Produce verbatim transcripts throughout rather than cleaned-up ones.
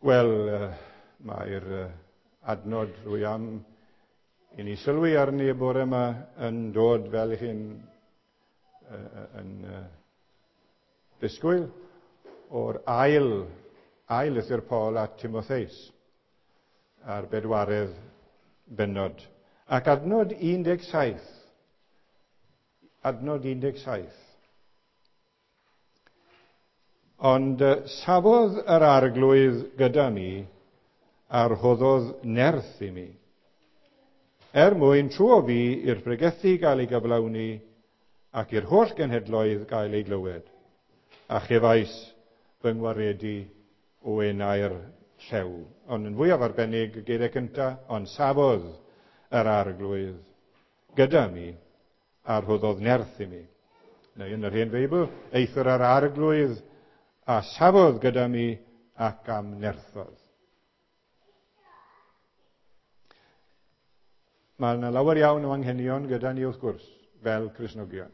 Wel, mae'r adnod rwy am i ni sylwi arni y bore yma yn dod fel i chi'n yn disgwyl o'r ail, ail lythyr Paul at Timotheus a'r bedwaredd bennod. Ac adnod un deg saith. Adnod un deg saith. Ond safodd yr arglwydd gyda mi a rhoddodd nerth i mi, er mwyn trwo fi i'r pregethu gael ei gyflawni ac i'r holl genhedloedd gael ei glywed, a chefais fy ngwaredu o enau'r llew. Ond yn fwyaf arbennig, y geiriau cyntaf, ond safodd yr arglwydd gyda mi a rhoddodd nerth i mi. Neu yn yr hen Feibl, eithr yr arglwydd a safodd gyda mi ac am nerthodd. Mae yna lawer iawn o anghenion gyda ni wrth gwrs, fel Cristnogion.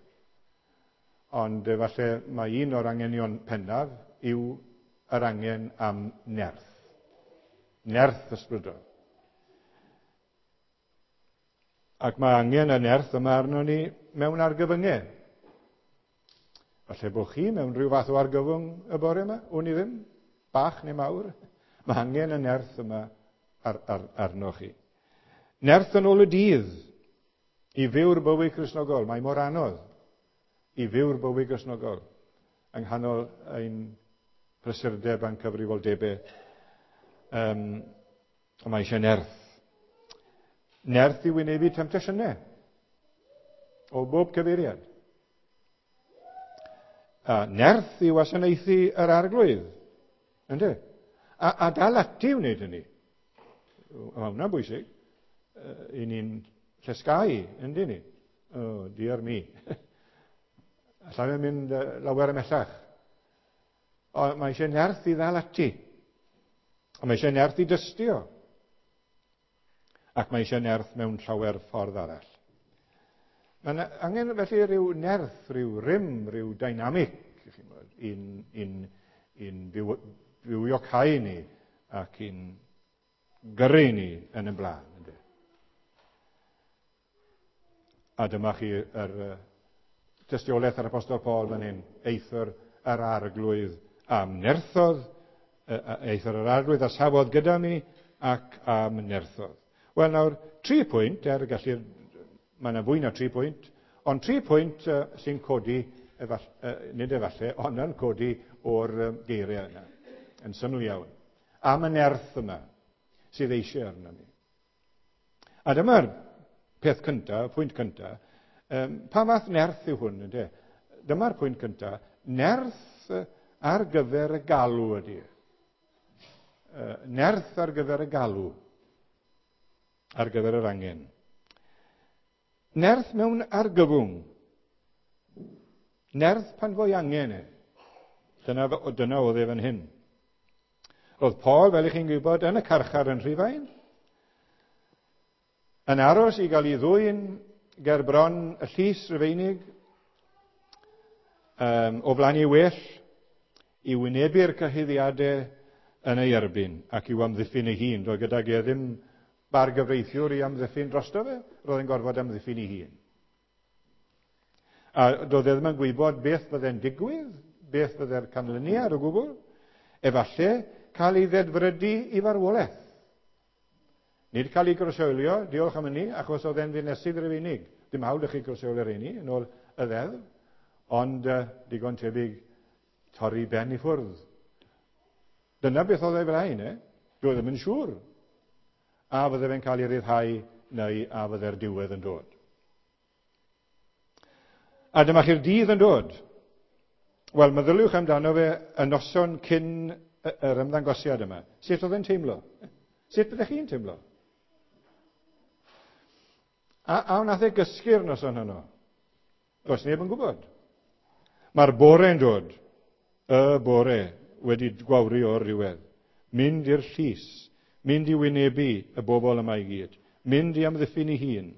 Ond efallai mae un o'r anghenion pennaf yw yr angen am nerth. Nerth ysbrydol. Ac mae angen y nerth yma arno ni mewn argyfyngau. Falle bod chi mewn rhyw fath o argyfwng y bore yma, wn i ddim, bach neu mawr. Mae angen y nerth yma ar, ar, arno chi. Nerth yn ôl y dydd i fyw'r bywyd Cristnogol. Mae mor anodd i fyw'r bywyd Cristnogol yng nghanol ein prysurdeb a'n cyfrifoldebau. Um, mae eisiau nerth. Nerth i wynebu temtasiynau o bob cyfeiriad. A nerth i wasanaethu yr arglwydd, ynddo? A, a dal ati i wneud hynny. Mae hwnna'n bwysig. I ni'n llesgau, ynddo ni? Oh, dear me. Alla fe mynd lawer ymhellach. Ond mae eisiau nerth i ddal ati. A mae eisiau nerth i dystio. Ac mae eisiau nerth mewn llawer ffordd arall. Mae angen felly rhyw nerth, rhyw rym, rhyw dynamic, i'n, i'n, i'n byw, bywiocau ni ac i'n gyrru ni yn y blaen. Ynddo? A dyma chi yr tystiolaeth yr Apostol Paul fan hyn, eithr yr arglwydd am nerthodd, eithr yr arglwydd a safodd gyda mi ac am nerthodd. Wel nawr, tri pwynt, er gallu'r, mae yna fwy na tri pwynt, ond tri pwynt uh, sy'n codi, efall, uh, nid efallai, ond yn codi o'r um, geiriau yna, yn syml iawn. Am y nerth yma sydd eisiau arno ni. A dyma'r peth cyntaf, pwynt cyntaf, um, pa fath nerth yw hwn, ynde? Dyma'r pwynt cyntaf, nerth ar gyfer y galw ydy. Uh, nerth ar gyfer y galw, ar gyfer yr angen. Nerth mewn argyfwng. Nerth pan fo'i angen e. Dyna, dyna oedd e fan hyn. Roedd Paul, fel i chi'n gwybod, yn y carchar yn Rhufain, yn aros i gael ei ddwyn ger bron y llys Rufeinig, um, o flaen ei well, i wynebu'r cyhuddiadau yn ei erbyn ac i'w amddiffyn ei hun. Doedd gydag e ddim bargyfreithiwr i amddiffyn drosto fe, roedd e'n gorfod amddiffyn ei hun. A doedd e ddim yn gwybod beth fydde'n digwydd, beth fydde'r canlyniad o gwbl. Efallai cael ei ddedfrydu i farwolaeth. Nid cael ei groeshoelio, diolch am hynny, achos oedd e'n ddinesydd Rufeinig. Dim hawl i chi groeshoelio rheini yn ôl y ddeddf, ond uh, digon tebyg torri ben i ffwrdd. Dyna beth oedd ei flaen, eh? Doedd ddim yn siŵr a fydde fe'n cael ei ryddhau neu a fydde'r diwedd yn dod. A dyma chi'r dydd yn dod. Wel, meddyliwch amdano fe y noson cyn yr ymddangosiad yma. Sut oedd e'n teimlo? Sut byddech chi'n teimlo? A, a wnaeth e gysgu'r noson honno? Does neb yn gwybod. Mae'r bore'n dod. Y bore wedi gwawru o'r diwedd. Mynd i'r llys. Mynd i wynebu y bobl yma i gyd. Mynd i amddiffyn ei hun.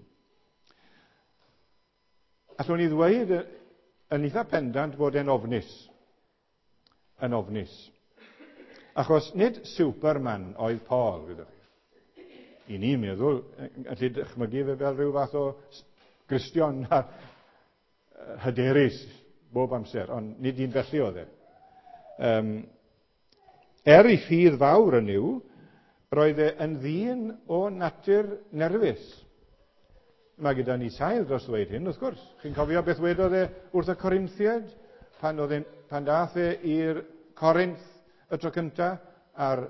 Allwn ni ddweud yn eitha pendant bod e'n ofnus. Yn ofnus. Achos nid Superman oedd Paul, gwyddoch chi. I ni'n meddwl, allu dychmygu fe fel rhyw fath o Gristion hyderus bob amser, ond nid un felly oedd e. Um, er ei ffydd fawr yn yw, roedd e yn ddyn o natur nerfus. Mae gyda ni sail dros ddweud hyn, wrth gwrs. Chi'n cofio beth wedodd e wrth y Corinthiaid? Pan, oedd e, pan dath e i'r Corinth y tro cyntaf, a'r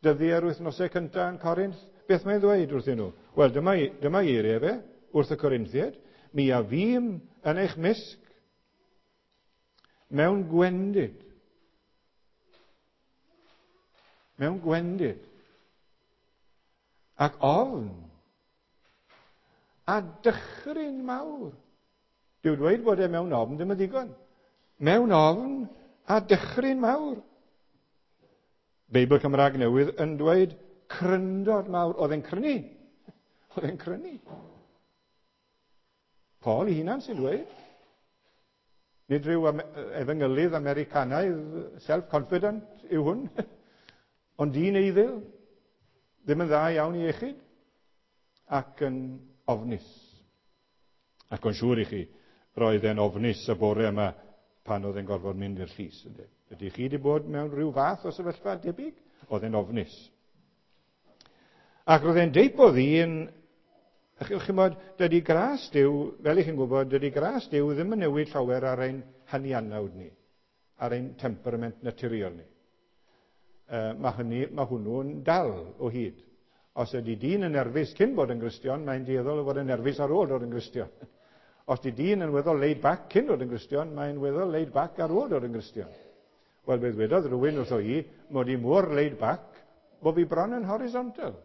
dyddiau'r wythnosau cyntaf yn Corinth, beth mae'n ddweud wrthyn nhw? Wel, dyma, dyma eiriau fe, wrth y Corinthiaid. Mi a fûm yn eich mysg mewn gwendid. Mewn gwendid. Ac ofn. A dychryn mawr. Dyw dweud bod e mewn ofn ddim yn ddigon. Mewn ofn a dychryn mawr. Beibl Cymraeg Newydd yn dweud cryndod mawr. Oedd e'n crynu. Oedd e'n crynu. Paul ei hunan sy'n dweud. Nid rhyw efengylydd Americanaidd self-confident yw hwn. Ond dyn eiddil. Ddim yn dda iawn i iechyd. Ac yn ofnus. Ac o'n siŵr i chi, roedd e'n ofnus y bore yma pan oedd e'n gorfod mynd i'r llys. Ydy chi wedi bod mewn rhyw fath o sefyllfa debyg? Oedd e'n ofnus. Ac roedd e'n deip o ddyn, chi'n bod, dydy gras Duw, fel i chi'n gwybod, dydy gras Duw ddim yn newid llawer ar ein hanianawd ni, ar ein temperament naturiol ni. Uh, mae, hynny, mae hwnnw'n dal o hyd. Os ydy dyn yn nerfus cyn bod yn Gristion, mae'n dueddol o fod yn nerfus ar ôl dod yn Gristion. Os ydy dyn yn weddol laid back cyn dod yn Gristion, mae'n weddol laid back ar ôl dod yn Gristion. Wel, beth wedodd rhywun wrtho i, mod i mor laid back, bod fi bron yn horizontal.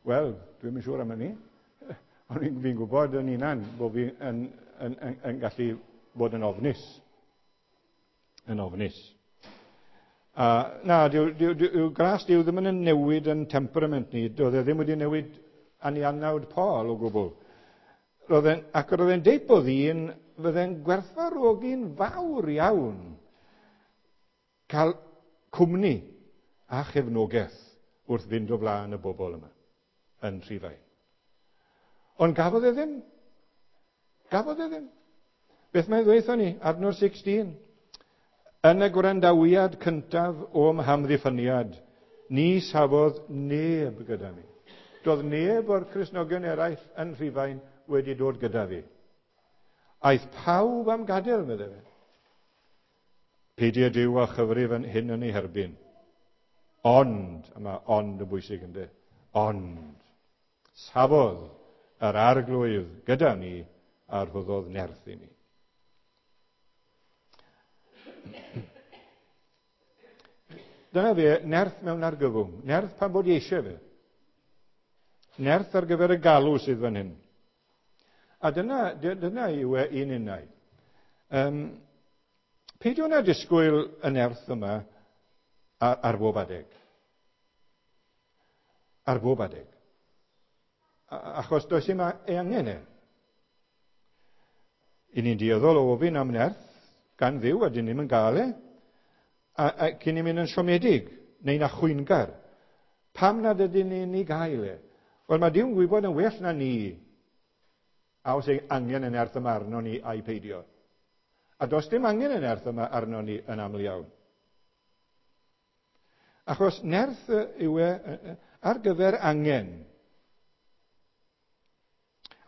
Wel, dwi'm yn siŵr am hynny. Ond fi'n gwybod yn hunan bod fi yn, yn, yn, yn gallu bod yn ofnus. Yn ofnus. Uh, na, dyw, dyw, dyw, gras Duw ddim yn newid yn temperament ni. Doedd e ddim wedi newid anianawd Paul o gwbl. Roedd e'n, ac roedd e'n deip o ddyn fydde'n gwerthfawrogi'n fawr iawn cael cwmni a chefnogaeth wrth fynd o flaen y bobl yma yn Rhufain. Ond gafodd e ddim. Gafodd e ddim. Beth mae'n ddweud ni? Adnod sixteen. Yn y gwrandawiad cyntaf o'm hamddiffyniad, ni safodd neb gyda mi. Doedd neb o'r Cristnogion eraill yn Rhufain wedi dod gyda fi. Aeth pawb am gadael, meddai fe. Peidio Duw a chyfrif yn hyn yn ei herbyn. Ond, a mae ond yn bwysig ynddo, ond, safodd yr Arglwydd gyda ni a rhoddodd nerth i ni. Dyna fe, nerth mewn argyfwng. Nerth pan bod eisiau fe. Nerth ar gyfer y galw sydd fan hyn. A dyna, dyna yw e un unau. Um, peidio na disgwyl y nerth yma ar, ar bob adeg. Ar bob adeg. Achos does dim ei angen e. I ni'n dueddol o ofyn am nerth gan Dduw a dyn ni'm yn gael e, a, a cyn i mynd yn siomedig neu'n achwyngar. Pam nad ydyn ni'n ei gael e? Wel, mae Duw'n gwybod yn well na ni a os ei angen y nerth yma arno ni a'i peidio. A does dim angen y nerth yma arno ni yn aml iawn. Achos nerth yw e ar gyfer angen.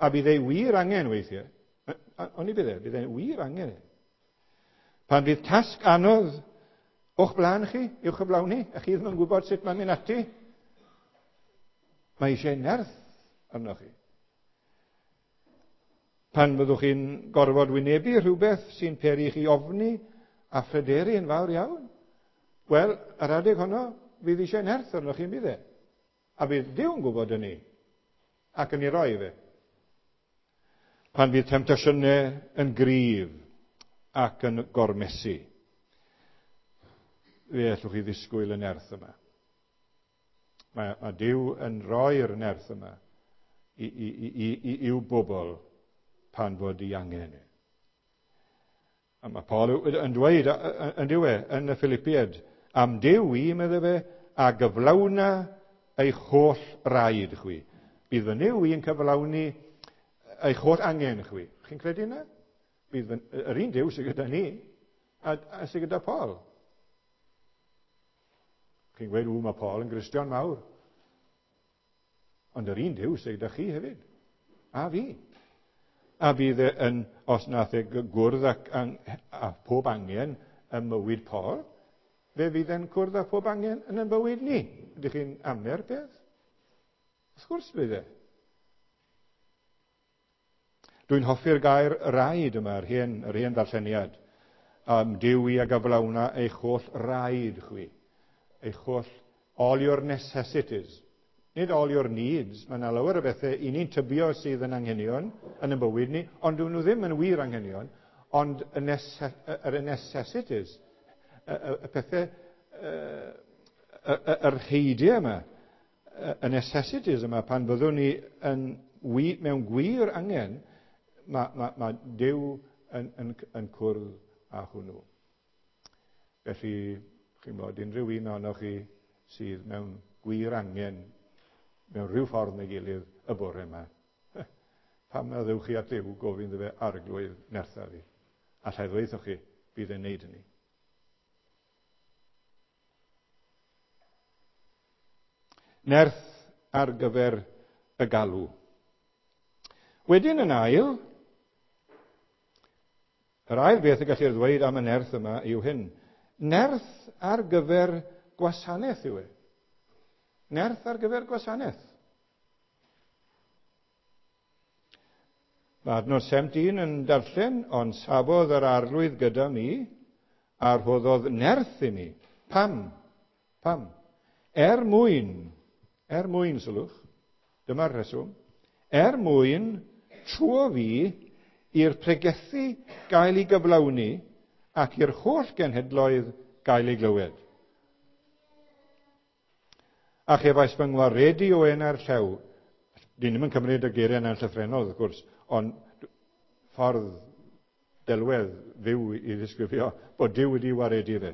A bydd ei wir angen weithiau. Ond i bydd e, bydd ei wir angen e. Pan fydd tasg anodd o'ch blaen chi, i'w chyflawni, a chi ddim yn gwybod sut mae'n mynd ati, mae eisiau nerth arnoch chi. Pan fyddwch chi'n gorfod wynebu rhywbeth sy'n peri chi ofni a phryderu yn fawr iawn, wel, yr adeg honno, fydd eisiau nerth arnoch chi'n bydd e. A bydd Duw yn gwybod hynny, ac yn ei roi fe. Pan fydd temtasiynau yn gryf ac yn gormesu, fe allwch chi ddisgwyl y nerth yma. Mae, mae Duw yn rhoi'r nerth yma i, i, i, i, i'w bobl pan fod ei angen. A mae Paul yn dweud, yn dyw e, yn y Philippiaid, Am Duw i, medde fe, a gyflawna eich holl raid chwi. Bydd fy Nuw i yn cyflawni eich holl angen chwi. Chi'n credu yna? Bydd fy, yr un Duw sydd gyda ni a, a sydd gyda Paul. Chi'n gweud, ww, mae Paul yn Gristion mawr. Ond yr un Duw sydd gyda chi hefyd. A fi. A bydd e yn, os nath e gwrdd ac, a pob angen ym mywyd Paul, fe fydd e'n cwrdd â pob angen yn ein bywyd ni. Ydych chi'n ame'r peth? Wrth gwrs bydd e. Dwi'n hoffi'r gair raid yma, yr hen, yr hen ddarlleniad. Am Duw i a gyflawna eich holl raid chwi. Eich holl, all your necessities. Nid all your needs. Mae yna lawer o bethau i ni'n tybio sydd yn anghenion yn y bywyd ni, ond dyn nhw ddim yn wir anghenion, ond y nece- necessities, y, y, y pethau, y, y, yr heidiau yma, y necessities yma, pan fyddwn ni yn, mewn gwir angen, mae, mae, mae Duw yn, yn, yn cwrdd â hwnnw. Felly, chi'n bod, unrhyw un ohonoch chi sydd mewn gwir angen, mewn rhyw ffordd neu gilydd y bore yma, pam na ddewch chi at Dduw gofyn iddo fe arglwydd nertha fi? Alla i ddweud chi, bydd e'n neud hynny. Nerth ar gyfer y galw. Wedyn yn ail, yr ail beth y gallu'r ddweud am y nerth yma yw hyn. Nerth ar gyfer gwasanaeth yw e. Nerth ar gyfer gwasanaeth. Mae adnod seventeen yn darllen, ond safodd yr arglwydd gyda mi a rhoddodd nerth i mi. Pam? Pam? Er mwyn, er mwyn, sylwch, dyma'r rheswm, er mwyn trwo fi i'r pregethu gael ei gyflawni ac i'r holl genhedloedd gael ei glywed. A chefais fy ngwaredu o enau'r llew. Dyn ni'm yn cymryd y geiriau yna'n llythrennol, wrth gwrs, ond ffordd delwedd fyw i ddisgrifio bod Duw wedi waredu fe.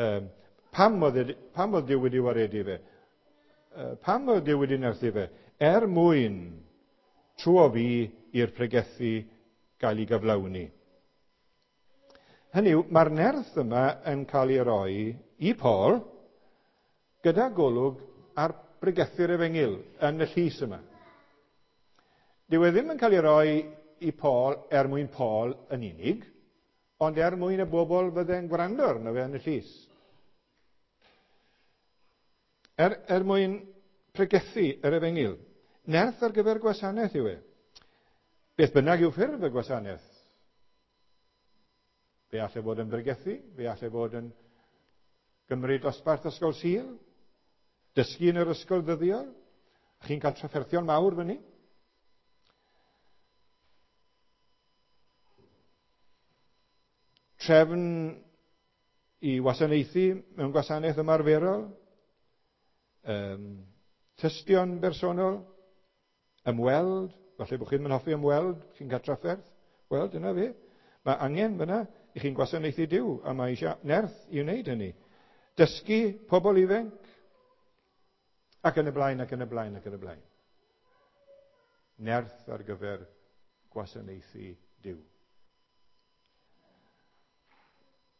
Um, pam oedd, e, pam oedd Duw wedi waredu fe? Uh, pam oedd Duw wedi nerthu fe? Er mwyn trwo fi i'r pregethu gael ei gyflawni. Hynny yw, mae'r nerth yma yn cael ei roi i Paul gyda golwg ar bregethu'r efengyl yn y llys yma. Dyw e ddim yn cael ei roi i Paul er mwyn Paul yn unig, ond er mwyn y bobl fydde'n gwrando arno fe yn y llys. Er, er mwyn pregethu yr efengyl. Nerth ar gyfer gwasanaeth yw e. Beth bynnag yw ffurf y gwasanaeth. Fe allai fod yn bregethu, fe allai fod yn gymryd dosbarth ysgol Sul, dysgu yn yr ysgol ddyddiol. Chi'n cael trafferthion mawr fyny. Trefn i wasanaethu mewn gwasanaeth ymarferol, um, tystion bersonol, ymweld, falle bod chi'n hoffi ymweld, chi'n cael trafferth, wel, dyna fe. Mae angen fyna i chi'n gwasanaethu Duw, a mae eisiau nerth i wneud hynny. Dysgu pobl ifanc, ac yn y blaen, ac yn y blaen, ac yn y blaen. Nerth ar gyfer gwasanaethu Duw.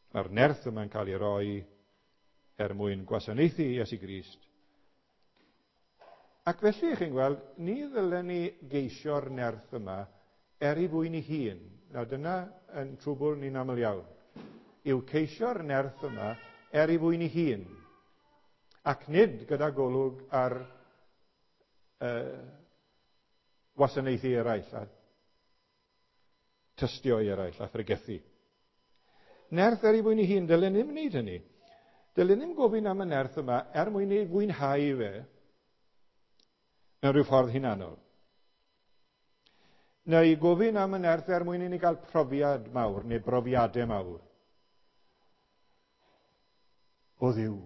Mae'r nerth yma'n cael ei roi er mwyn gwasanaethu Iesu Grist. Ac felly, chi'n gweld, ni ddylen ni geisio'r nerth yma er ei fwyn ei hun. Nawr dyna yn trwbl ni'n aml iawn. Yw ceisio'r nerth yma er ei fwyn ei hun. Ac nid gyda golwg ar uh, wasanaethu eraill a tystio eraill a phregethu. Nerth er ei fwyn ei hun, dylen ni'm wneud hynny. Dylen ni'm gofyn am y nerth yma er mwyn ei fwynhau fe mewn rhyw ffordd hunanol. Neu gofyn am y nerth er mwyn i ni gael profiad mawr neu brofiadau mawr. O Dduw.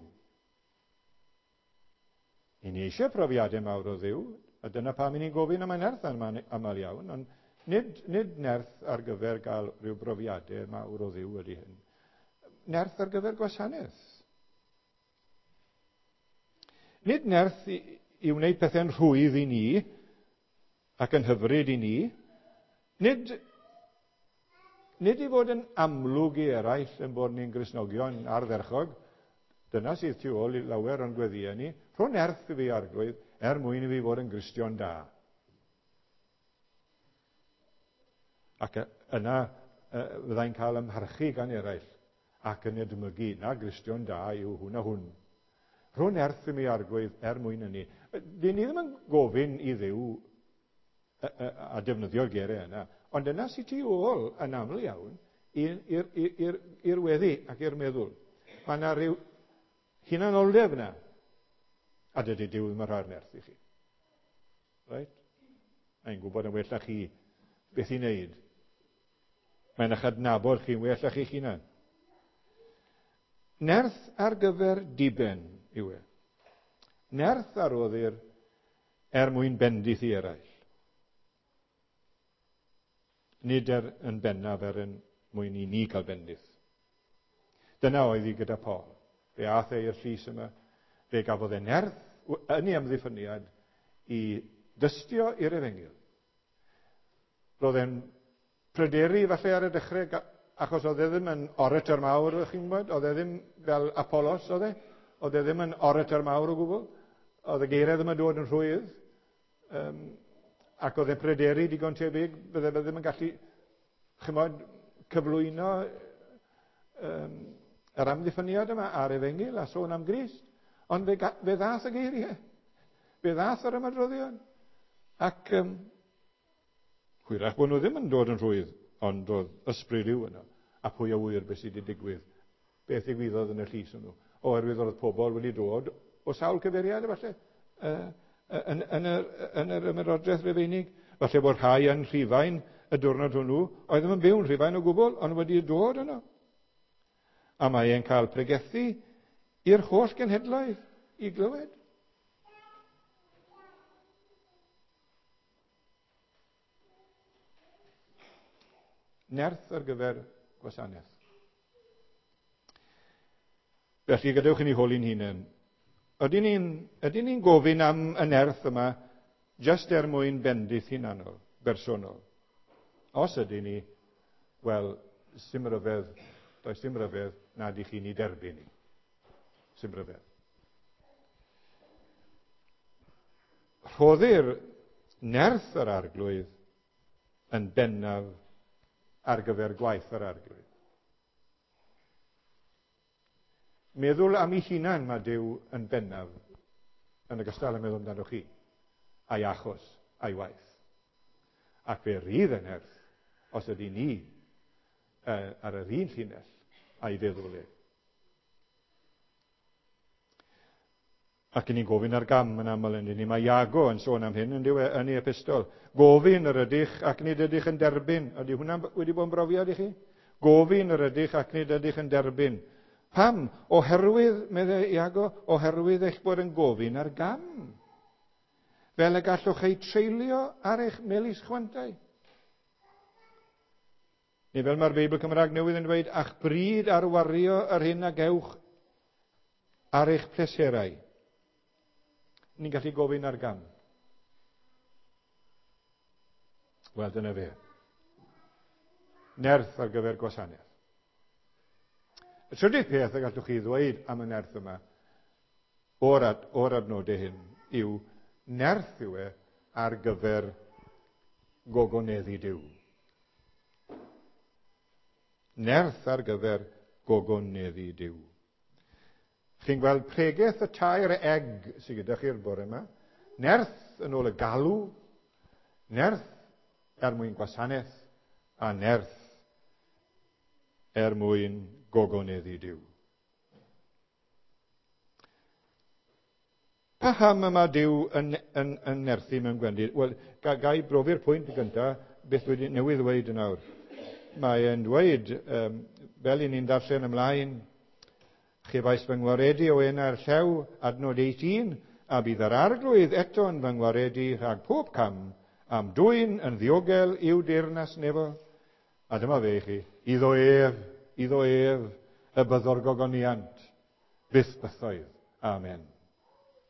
I ni eisiau profiadau mawr o Dduw, a dyna pam i ni'n gofyn am y nerth aml iawn, ond nid, nid nerth ar gyfer gael rhyw brofiadau mawr o Dduw ydy hyn. Nerth ar gyfer gwasanaeth. Nid nerth i, i wneud pethau'n rhwydd i ni ac yn hyfryd i ni. Nid, nid i fod yn amlwg i eraill yn bod ni'n Gristnogion ardderchog. Dyna sydd tu ôl i lawer o'n gweddïau ni. Rho nerth i fi, Arglwydd, er mwyn i fi fod yn Gristion da. Ac yna fyddai'n cael ymharchu gan eraill ac yn edmygu, na Gristion da yw hwn a hwn. Rho nerth i mi, Arglwydd, er mwyn hynny. Dyn ni ddim yn gofyn i Dduw a, a, a defnyddio'r geiriau yna, ond yna sydd tu ôl yn aml iawn i'r weddi ac i'r meddwl. Mae yna rhyw hunanoldeb yna. A dydy Duw ddim yn rhoi'r nerth i chi. Right? Mae'n gwybod yn well na chi beth i wneud. Mae'n eich adnabod chi'n well na chi'ch hunan. Nerth ar gyfer diben yw e. Nerth a roddir er mwyn bendith i eraill. Nid er yn bennaf er yn mwyn i ni cael bendith. Dyna oedd hi gyda Paul. Fe aeth e i'r llys yma. Fe gafodd e nerth yn ei amddiffyniad i dystio i'r efengyl. Roedd e'n pryderu falle ar y dechrau, achos oedd e ddim yn orator mawr, chi'n gwybod? Oedd e ddim fel Apollos, oedd e? Oedd e ddim yn orator mawr o gwbl. Oedd y geiriau ddim yn dod yn rhwydd. Um, ac oedd e'n pryderu digon tebyg, bydde fe ddim yn gallu, chymod, cyflwyno um, yr amddiffyniad yma a'r efengyl a sôn am Grist. Ond fe, fe ddath y geiriau. Fe ddath yr ymadroddion. Ac um, hwyrach bod nhw ddim yn dod yn rhwydd, ond oedd ysbryd yw yno. A pwy a ŵyr beth sydd wedi digwydd, beth ddigwyddodd yn y llys hwnnw. Oherwydd oedd pobl wedi dod o sawl cyfeiriad, efallai, uh, yn, yn, yr, yn yr ymerodraeth Rufeinig. Falle bod rhai yn Rhufain y diwrnod hwnnw, oedd ddim yn byw yn Rhufain o gwbl, ond wedi dod yno. A mae e'n cael pregethu i'r holl genhedloedd i glywed. Nerth ar gyfer gwasanaeth. Felly, gadewch i ni holi'n hunain. Ydyn ni'n, ydyn ni'n gofyn am y nerth yma jyst er mwyn bendith hunanol, bersonol? Os ydyn ni, wel, sim ryfedd, does dim ryfedd nad i chi'n ei derbyn ni. Sim ryfedd. Rhoddir nerth yr Arglwydd yn bennaf ar gyfer gwaith yr Arglwydd. Meddwl am ei hunan mae Duw yn bennaf yn ogystal â meddwl amdano chi, a'i achos, a'i waith. Ac fe rydd y nerth os ydy ni uh, ar yr un llinell a'i feddwl e. Ac yn ni'n gofyn ar gam yn aml yn ni. Mae Iago yn sôn am hyn yn dyw e, yn ei epistol. Gofyn yr ydych ac nid ydych yn derbyn. Ydy hwnna wedi bod yn brofiad i chi? Gofyn yr ydych ac nid ydych yn derbyn. Pam? Oherwydd, meddai Iago, oherwydd eich bod yn gofyn ar gam. Fel y gallwch ei treulio ar eich melys chwantau. Neu fel mae'r Beibl Cymraeg Newydd yn dweud, a'ch bryd ar wario yr hyn a gewch ar eich pleserau. Ni'n gallu gofyn ar gam. Wel, dyna fe. Nerth ar gyfer gwasanaeth. Y trydydd peth y gallwch chi ddweud am y nerth yma o'r, ad, o'r adnodau hyn yw nerth yw e ar gyfer gogoneddu Duw. Nerth ar gyfer gogoneddu Duw. Chi'n gweld pregeth y tair egg sydd gyda chi'r bore yma. Nerth yn ôl y galw, nerth er mwyn gwasanaeth, a nerth er mwyn gogoneddu Duw. Paham yma Duw yn, yn, yn nerthu mewn gwendid? Wel, ga, ga i brofi'r pwynt gyntaf, beth wedi newydd ddweud yn awr. Mae e'n dweud, um, fel i ni'n darllen ymlaen, chefais fy ngwaredu o enau'r llew, adnod eighteen, a bydd yr Arglwydd eto yn fy ngwaredu rhag pob cam, am dwyn yn ddiogel i'w deyrnas nefo. A dyma fe i chi, iddo ef, iddo ef, y byddo'r gogoniant, byth bythoedd. Amen.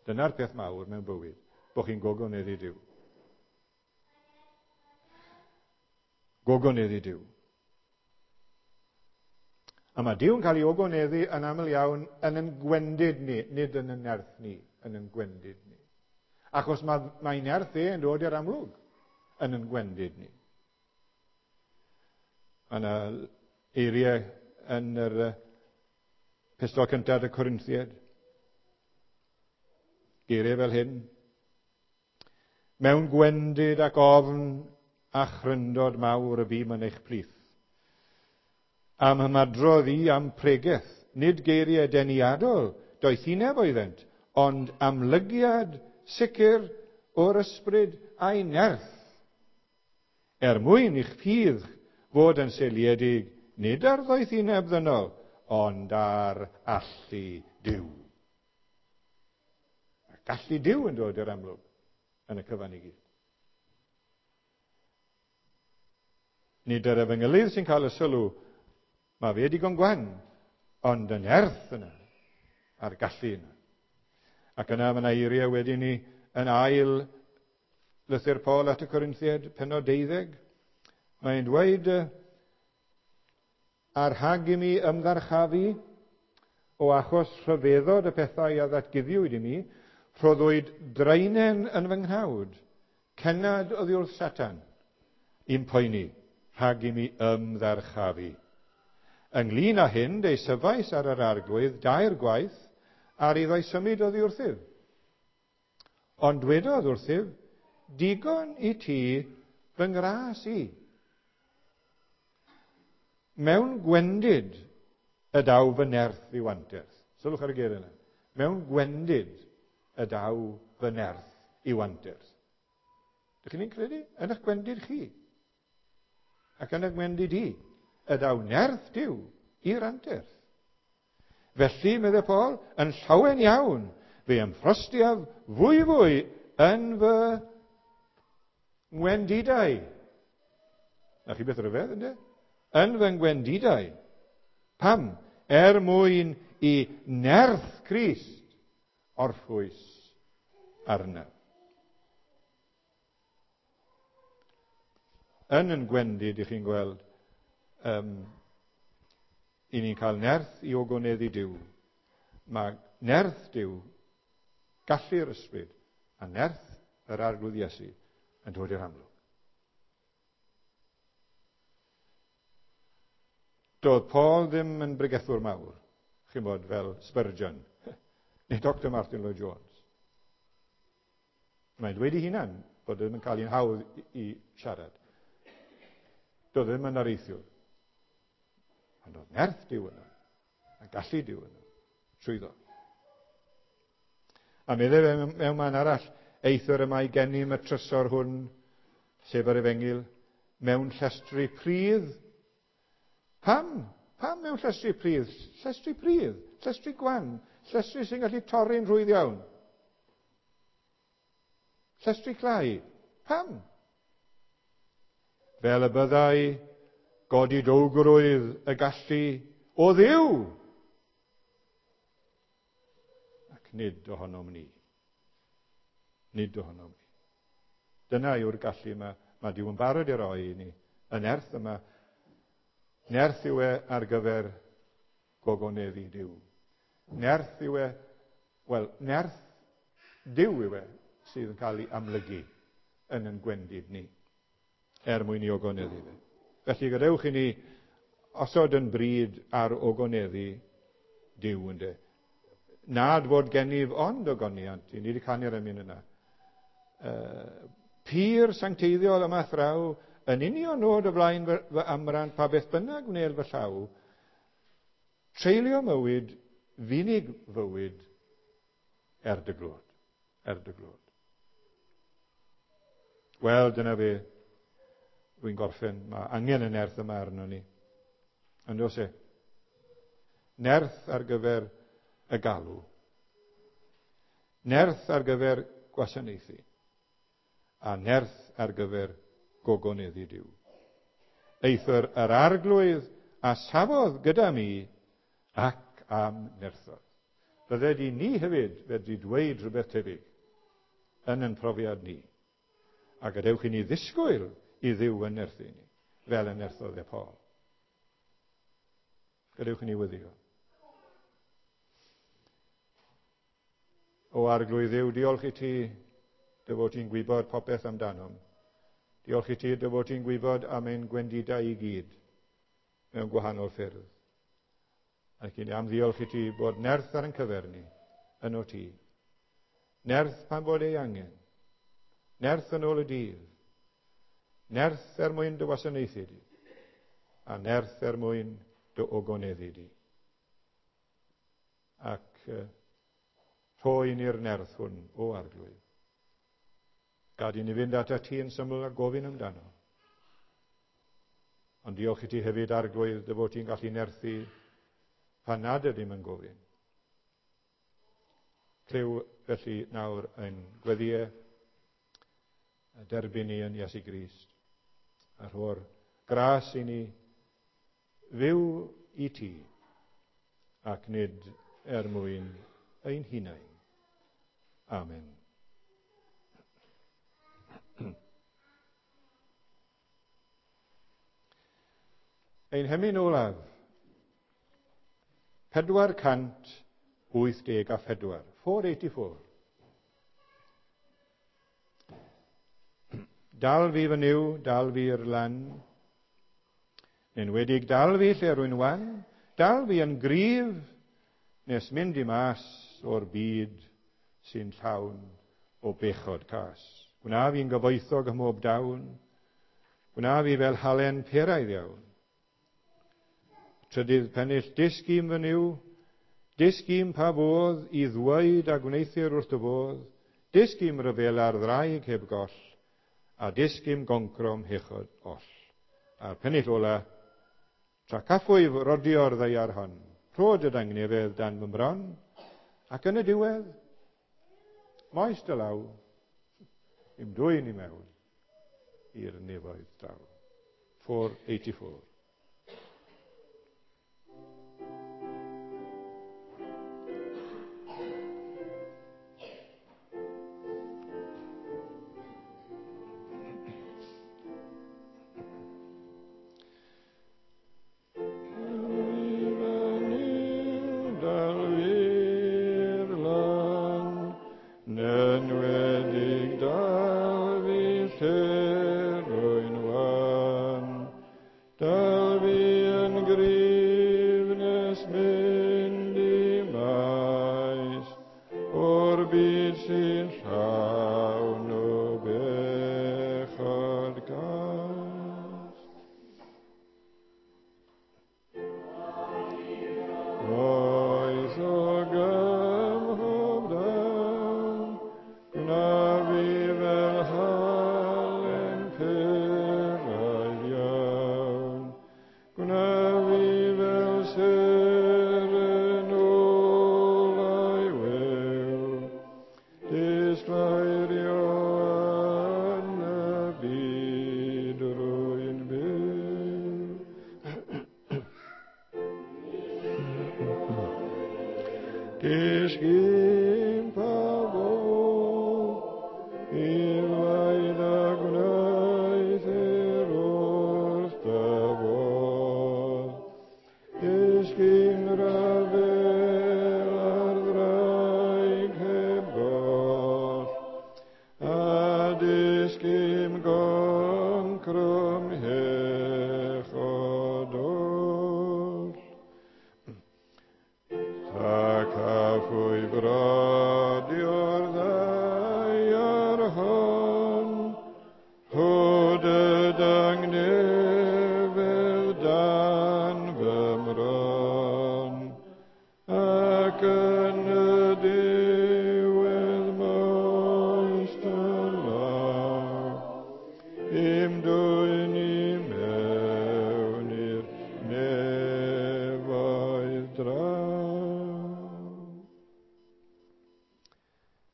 Dyna'r peth mawr mewn bywyd, bod chi'n gogoneddu Duw. Gogoneddu Duw. A mae Duw yn cael ei ogoneddu yn aml iawn yn ein gwendid ni, nid yn ein nerth ni, yn ein gwendid ni. Achos mae, mae nerth e yn dod i'r amlwg yn ein gwendid ni. Mae yna eiriau yn yr epistol cyntaf y Corinthiaid. Geiriau fel hyn. Mewn gwendid ac ofn a chryndod mawr y bûm yn eich plith. Am ymadrodd i am pregeth, nid geiriau deniadol, doethineb oeddent, ond amlygiad sicr o'r ysbryd a'i nerth. Er mwyn i'ch ffydd fod yn seiliedig nid ar ddoethineb ddynol, ond ar allu Duw. A gallu Duw yn dod i'r amlwg yn y cyfan i gyd. Nid yr efengylydd sy'n cael y sylw, mae fe digon gwan, ond y nerth yna, a'r gallu yna. Ac yna mae yna eiriau wedyn ni yn ail lythyr Paul at y Corinthiaid, pennod deuddeg. Mae'n dweud, a'r rhag i mi ymddarchafu o achos rhyfeddod y pethau a ddatguddiwyd i mi, rhoddwyd draenen yn fy nghnawd, cennad oddi wrth Satan, i'm poeni, rhag i mi ymddarchafu. Ynglyn â hyn, deisyfais ar yr arglwydd dair gwaith, ar iddo'i symud oddi wrthyf. Ond dwedodd wrthyf, digon i ti fy ngras i. Mewn gwendid y daw fy nerth i'w anterth. Sylwch ar y geiriau yna. Mewn gwendid y daw fy nerth i'w anterth. Dych chi'n credu? Yn eich gwendid chi. Ac yn eich gwendid i. Y daw nerth Duw i'r anterth. Felly, meddai Paul, yn llawen iawn, fe ymffrostiaf fwy fwy yn fy ngwendidau. Na chi beth rhyfedd, ynddo? Yn fy ngwendidau. Pam? Er mwyn i nerth Crist orffwys arna. Yn yn gwendid, i chi'n gweld, um, i ni'n cael nerth i ogoneddu Duw. Mae nerth Duw, gallu'r ysbryd, a nerth yr Arglwydd Iesu yn dod i'r amlwg. Doedd Paul ddim yn bregethwr mawr, chi'n bod, fel Spurgeon, neu Doctor Martin Lloyd Jones. Mae'n dweud ei hunan bod ddim yn cael un hawdd i, i siarad. Doedd ddim yn areithiwr. Ond oedd nerth Duw yno, a gallu Duw yno, trwyddo. A meddai fe mewn man arall, eithr y mae gennym y trysor hwn, sef yr efengyl, mewn llestri pridd. Pam? Pam mewn llestri pridd? Llestri pridd, llestri gwan, llestri sy'n gallu torri'n rhwydd iawn. Llestri clai. Pam? Fel y byddai godidowgrwydd y gallu o Dduw, ac nid ohonom ni. Nid ohonom ni. Dyna yw'r gallu yma. Mae Duw yn barod i roi i ni. Y nerth yma, nerth yw e ar gyfer gogoneddu Duw. Nerth yw e, wel, nerth Duw yw e sydd yn cael ei amlygu yn ein gwendid ni, er mwyn i ogoneddu fe. Felly gadewch i ni osod yn bryd ar ogoneddu Duw, ynde. Nad fod gennyf ond ogoniant, i ni wedi canu'r emyn yna. Uh, pur sancteiddiol yma thraw, yn union nod o flaen fy, fy amrant, pa beth bynnag wnel fy llaw, treulio mywyd, funig fywyd, er dy glod. Er dy glod. Wel, dyna fe. Rwy'n gorffen. Mae angen y nerth yma arno ni. Ond oes e? Nerth ar gyfer y galw. Nerth ar gyfer gwasanaethu. A nerth ar gyfer gogoneddu Duw. Eithr yr Arglwydd a safodd gyda mi ac am nerthodd. Bydded i ni hefyd fedru dweud rhywbeth tebyg yn ein profiad ni. A gadewch i ni ddisgwyl i Dduw yn nerthu ni, fel y nerthodd e Paul. Gadewch i ni wyddio. O Arglwydd Dduw, diolch i ti dy fod ti'n gwybod popeth amdanom. Diolch i ti dy fod ti'n gwybod am ein gwendidau i gyd mewn gwahanol ffyrdd. Ac i ni am ddiolch i ti bod nerth ar ein cyfer ni yn o ti. Nerth pan bod ei angen. Nerth yn ôl y dydd. Nerth er mwyn dy wasanaethu di. A nerth er mwyn dy ogoneddu di. Ac uh, rhoi ni'r nerth hwn o Arglwydd. Gad i ni fynd atat ti yn syml a gofyn amdano. Ond diolch i ti hefyd, Arglwydd, dy fod ti'n gallu nerthu pan nad ydym yn gofyn. Clyw felly nawr ein gweddïau, a derbyn ni yn Iesu Grist, a rho'r gras i ni fyw i ti, ac nid er mwyn ein hunain. Amen. Ein hemyn olaf, pedwar cant wyth deg a phedwar, four eighty-four. Dal fi fy Nuw, dal fi i'r lan, enwedig dal fi lle rwy'n wan, dal fi yn gryf, nes mynd i mas o'r byd sy'n llawn o bechod cas. Gwna fi'n gyfoethog ym mhob dawn, gwna fi fel halen peraidd iawn. Trydydd pennill, dysg i'm fy Nuw, dysg i'm pa fodd i ddweud a gwneuthur wrth dy fodd, dysg i'm ryfel ar ddraig heb goll, a dysg i'm goncrom hechod oll. A'r pennill ola, tra caffwyf rodio'r ddaear hon, rho dy dangnefedd dan fy mron, ac yn y diwedd, moes dy law, i'm dwyn i mewn i'r nefoedd draw. four eighty-four.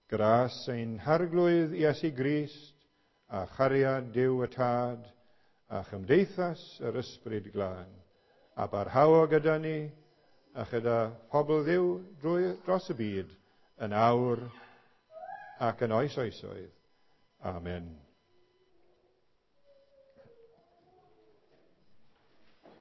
Gras ein Harglwydd Iesu Grist, a chariad Duw y Tad, a chymdeithas yr Ysbryd Glân, a barhao gyda ni, a chyda pobl Dduw drwy, dros y byd yn awr ac yn oes oesoedd. Amen.